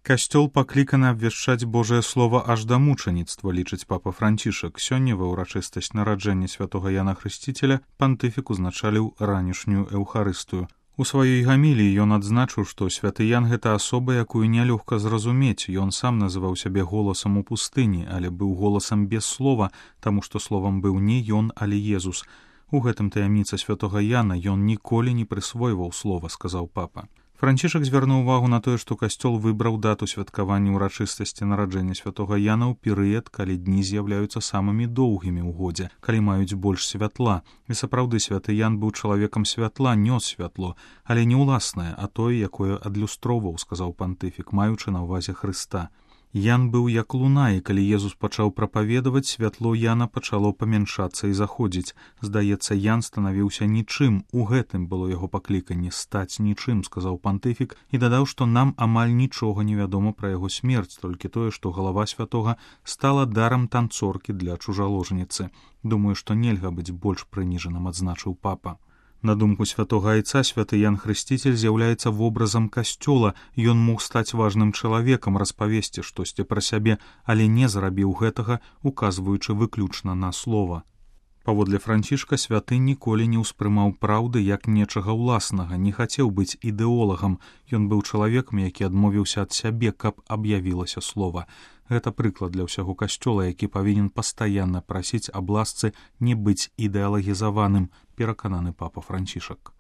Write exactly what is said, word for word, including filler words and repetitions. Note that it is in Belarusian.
Касцёл пакліканы абвяшчаць Божае Слова аж да мучаніцтва, лічыць папа Францішак. Сёння ва ўрачыстасць нараджэння святога Яна Хрысціцеля пантыфік узначаліў ранішнюю эўхарыстыю. У сваёй гаміліі ён адзначыў, што святы Ян — гэта асоба, якую нялёгка зразумець. Ён сам называў сябе голасам у пустыні, але быў голасам без слова, таму што словам быў не ён, але Езус. У гэтым таямніца святога Яна, ён ніколі не прысвойваў слова, сказаў папа. Францішак звярнуў увагу на тое, што касцёл выбраў дату святкавання ўрачыстасці нараджэння святога Яна ў перыяд, калі дні з'яўляюцца самымі доўгімі ў годзе, калі маюць больш святла. І сапраўды святы Ян быў чалавекам святла, нёс святло, але не ўласнае, а тое, якое адлюстроўваў, сказаў пантыфік, маючы на ўвазе Хрыста. Ян быў як луна, і калі Езус пачаў прапаведаваць, святло Яна пачало памяншацца і заходзіць. Здаецца, Ян станавіўся нічым, у гэтым было яго пакліканне — стаць нічым, сказаў пантыфік, і дадаў, што нам амаль нічога не вядома пра яго смерць, толькі тое, што галава святога стала дарам танцоркі для чужаложніцы. Думаю, што нельга быць больш прыніжаным, адзначыў папа. На думку святога айца, святы Ян Хрысціцель з'яўляецца вобразам касцёла. Ён мог стаць важным чалавекам, распавесці штосьці пра сябе, але не зрабіў гэтага, указваючы выключна на слова. Паводле Францішка, святы ніколі не ўспрымаў праўды як нечага ўласнага, не хацеў быць ідэолагам. Ён быў чалавекам, які адмовіўся ад сябе, каб аб'явілася слова. Гэта прыклад для ўсяго касцёла, які павінен пастаянна прасіць аб ласцы не быць ідэалагізаваным, перакананы папа Францішак.